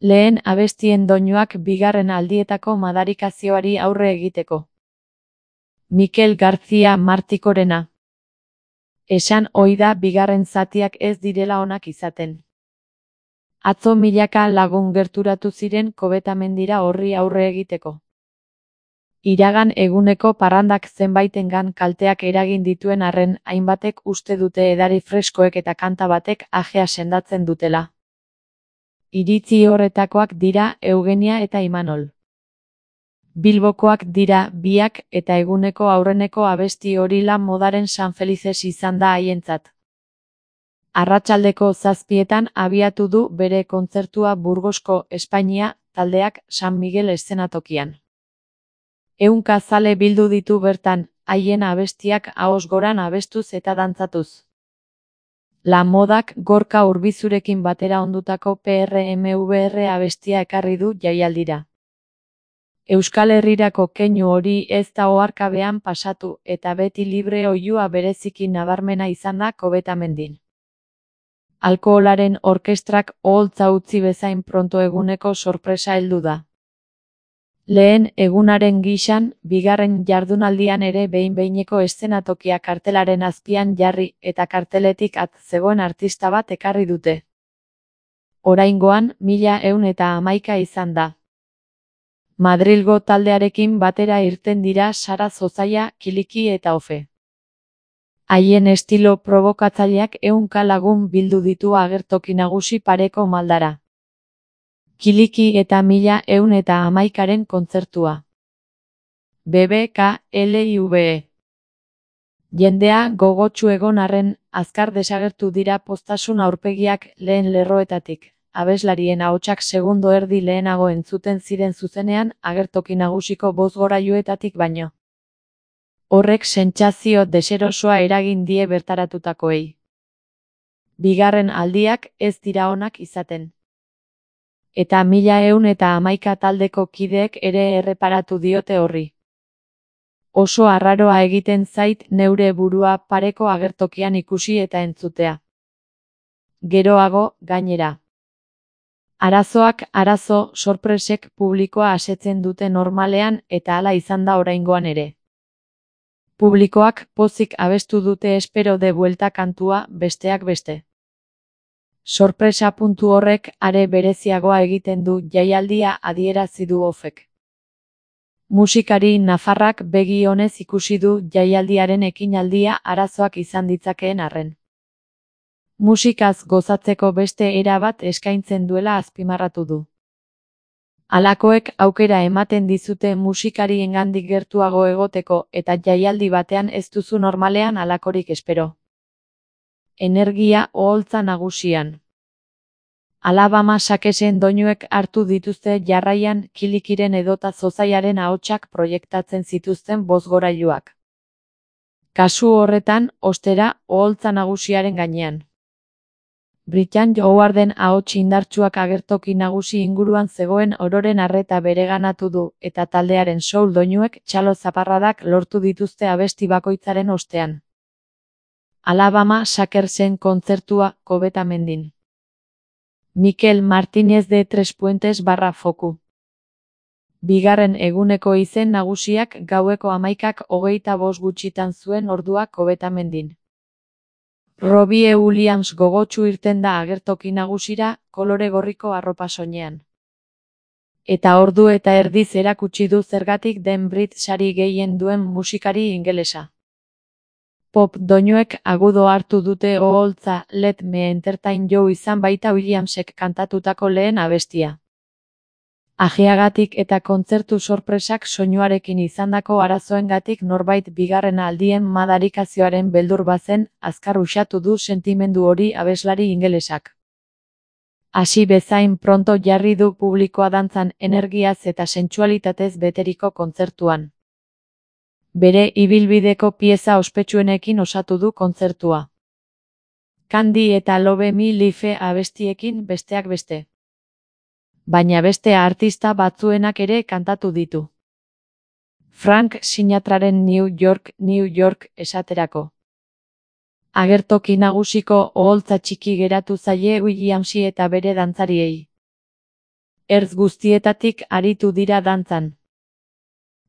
Lehen abestien doinuak bigarren aldietako madarikazioari aurre egiteko. Mikel García Martikorena. Esan ohi da bigarren zatiak ez direla onak izaten. Atzo milaka lagun gerturatu ziren Kobetamendira horri aurre egiteko. Iragan eguneko parrandak zenbaitengan kalteak eragin dituen arren, hainbatek uste dute edari freskoek eta kanta batek ajea sendatzen dutela. Iritzi horretakoak dira Eugenia eta Imanol. Bilbokoak dira biak eta eguneko aurreneko abesti hori la modaren San Felices izan da haientzat. Arratsaldeko 7:00 abiatu du bere kontzertua Burgosko Espainia taldeak San Miguel eszenatokian. 100 zale bildu ditu bertan, haien abestiak ahoz goran abestuz eta dantzatuz. La Modak Gorka Urbizurekin batera ondutako PRMVR abestia ekarri du jaialdira. Euskal Herrirako keinu hori ez da oharkabean pasatu eta beti libre oihua bereziki nabarmena izan da Kobetamendin. Alkoholaren orkestrak oholtza utzi bezain pronto eguneko sorpresa heldu da. Lehen egunaren gisan, bigarren jardunaldian ere behin-behineko eszenatokia kartelaren azpian jarri eta karteletik at zegoen artista bat ekarri dute. Oraingoan 1111 izan da. Madrilgo taldearekin batera irten dira Sara Zozaia, Kiliki eta Ofe. Haien estilo probokatzaileak 100 lagun bildu ditu agertoki nagusi pareko maldara. Kiliki eta 1111ren kontzertua. BBKLIVE. Jendea gogotsu egon arren, azkar desagertu dira poztasun aurpegiak lehen lerroetatik. Abeslarien ahotsak segundo erdi lehenago entzuten ziren zuzenean agertoki nagusiko bozgorailuetatik baino. Horrek sentsazio deserosoa eragin die bertaratutakoei. Bigarren aldiak ez dira onak izaten. Eta 1111 taldeko kideek ere erreparatu diote horri. Oso arraroa egiten zait neure burua pareko agertokian ikusi eta entzutea. Geroago, gainera. Arazoak arazo, sorpresek publikoa asetzen dute normalean eta hala izan da oraingoan ere. Publikoak pozik abestu dute espero de buelta kantua besteak beste. Sorpresa puntu horrek are bereziagoa egiten du jaialdia adierazi du Ofek. Musikari nafarrak begi onez ikusi du jaialdiaren ekinaldia arazoak izan ditzakeen arren. Musikaz gozatzeko beste era bat eskaintzen duela azpimarratu du. Halakoek aukera ematen dizute musikariengandik gertuago egoteko eta jaialdi batean ez duzu normalean halakorik espero. Energia oholtza nagusian. Alabama sakesen doinuek hartu dituzte jarraian Kilikiren edota Zozaiaren ahotsak proiektatzen zituzten bozgorailuak. Kasu horretan, ostera, oholtza nagusiaren gainean. Brian Jowarden ahots indartsuak agertoki nagusi inguruan zegoen ororen arreta bereganatu du eta taldearen soul doinuek txalo zaparradak lortu dituzte abesti bakoitzaren ostean. Alabama Shakersen kontzertua Kobetamendin. Mikel Martínez de Tres Puentes /Foku. Bigarren eguneko izen nagusiak gaueko 11:25 gutxitan zuen ordua Kobetamendin. Robbie Williams gogotsu irten da agertoki nagusira, kolore gorriko arropa soinean. Eta ordu eta erdiz erakutsi du zergatik den Brit sari gehien duen musikari ingelesa. Pop doinuek agudo hartu dute oholtza Let Me Entertain You izan baita Williamsek kantatutako lehen abestia. Ajeagatik eta kontzertu sorpresak soinuarekin izandako arazoengatik norbait bigarren aldien madarikazioaren beldur bazen, azkar uxatu du sentimendu hori abeslari ingelesak. Hasi bezain pronto jarri du publikoa dantzan energiaz eta sentsualitatez beteriko kontzertuan. Bere ibilbideko pieza ospetsuenekin osatu du kontzertua. Candy eta Love Me Life abestiekin besteak beste. Baina beste artista batzuenak ere kantatu ditu. Frank Sinatraren New York, New York esaterako. Agertoki nagusiko oholtza txiki geratu zaie Williamsi eta bere dantzariei. ertz guztietatik aritu dira dantzan.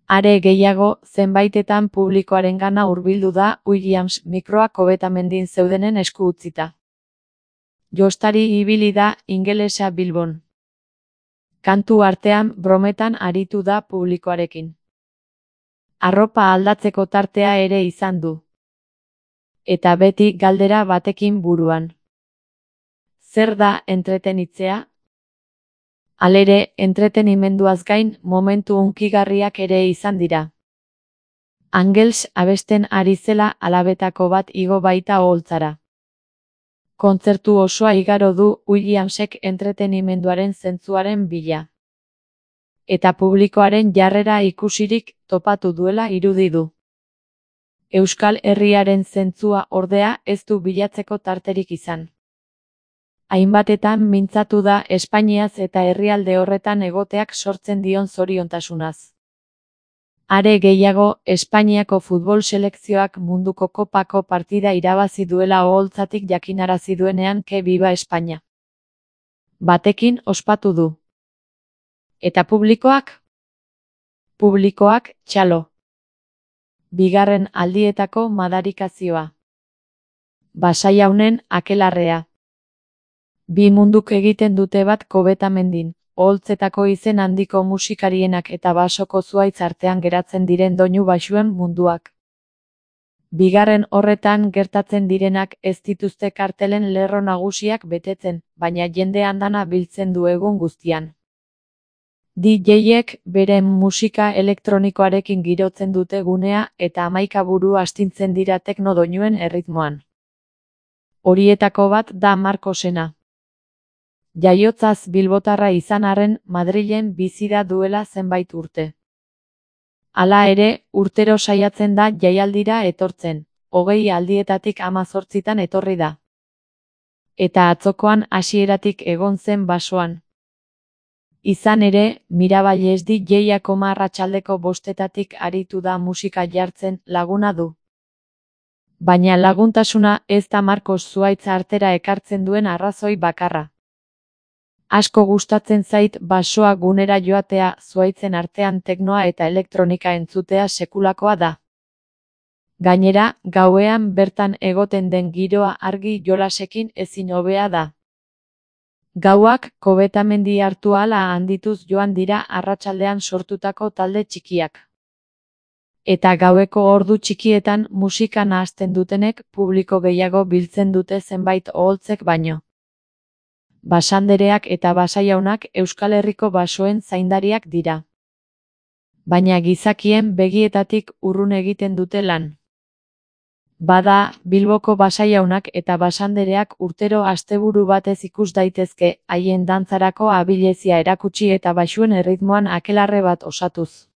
Are gehiago, zenbaitetan publikoarengana hurbildu da Williams mikroak kobetamendin zeudenen esku utzita. Jostari ibili da ingelesa Bilbon. Kantu artean brometan aritu da publikoarekin. Arropa aldatzeko tartea ere izan du. Eta beti galdera batekin buruan. Zer da entretenitzea? Halere, entretenimenduaz gain momentu hunkigarriak ere izan dira. Angels abesten ari zela alabetako bat igo baita oholtzara. Kontzertu osoa igaro du Williamsek entretenimenduaren zentzuaren bila. Eta publikoaren jarrera ikusirik topatu duela irudi du. Euskal Herriaren zentzua ordea ez du bilatzeko tarterik izan. Hainbatetan mintzatu da Espainiaz eta herrialde horretan egoteak sortzen dion zoriontasunaz. Are gehiago, Espainiako futbol selekzioak munduko kopako partida irabazi duela oholtzatik jakinarazi duenean ke viva España. Batekin ospatu du. Eta publikoak? Publikoak, txalo. Bigarren aldietako madarikazioa. Basaiaunen akelarrea. Bi munduk egiten dute bat kobetamendin, oholtzetako izen handiko musikarienak eta basoko zuhaitz artean geratzen diren doinu baxuen munduak. Bigarren horretan gertatzen direnak ez dituzte kartelen lerro nagusiak betetzen, baina jende andana biltzen du egun guztian. DJ-ek beren musika elektronikoarekin girotzen dute gunea eta 11 buru astintzen dira tekno doinuen erritmoan. Horietako bat da Marcosena. Jaiotzaz bilbotarra izan arren Madrilen bizi da duela zenbait urte. Hala ere, urtero saiatzen da jaialdira etortzen, 20 aldietatik 18tan etorri da. Eta atzokoan hasieratik egon zen basoan. Izan ere, Miravalles DJ-ak arratsaldeko 5 aritu da musika jartzen laguna du. Baina laguntasuna ez da Marcos zuhaitza artera ekartzen duen arrazoi bakarra. Asko gustatzen zait basoa gunera joatea, zuhaitzen artean teknoa eta elektronika entzutea sekulakoa da. Gainera, gauean bertan egoten den giroa argi jolasekin ezin hobea da. Gauak kobetamendi hartu ahala handituz joan dira arratsaldean sortutako talde txikiak. Eta gaueko ordu txikietan musika nahasten dutenek publiko gehiago biltzen dute zenbait oholtzek baino. Basandereak eta basaiaunak Euskal Herriko basoen zaindariak dira. Baina gizakien begietatik urrun egiten dute lan. Bada, Bilboko basaiaunak eta basandereak urtero asteburu batez ikus daitezke, haien dantzarako abilezia erakutsi eta baxuen erritmoan akelarre bat osatuz.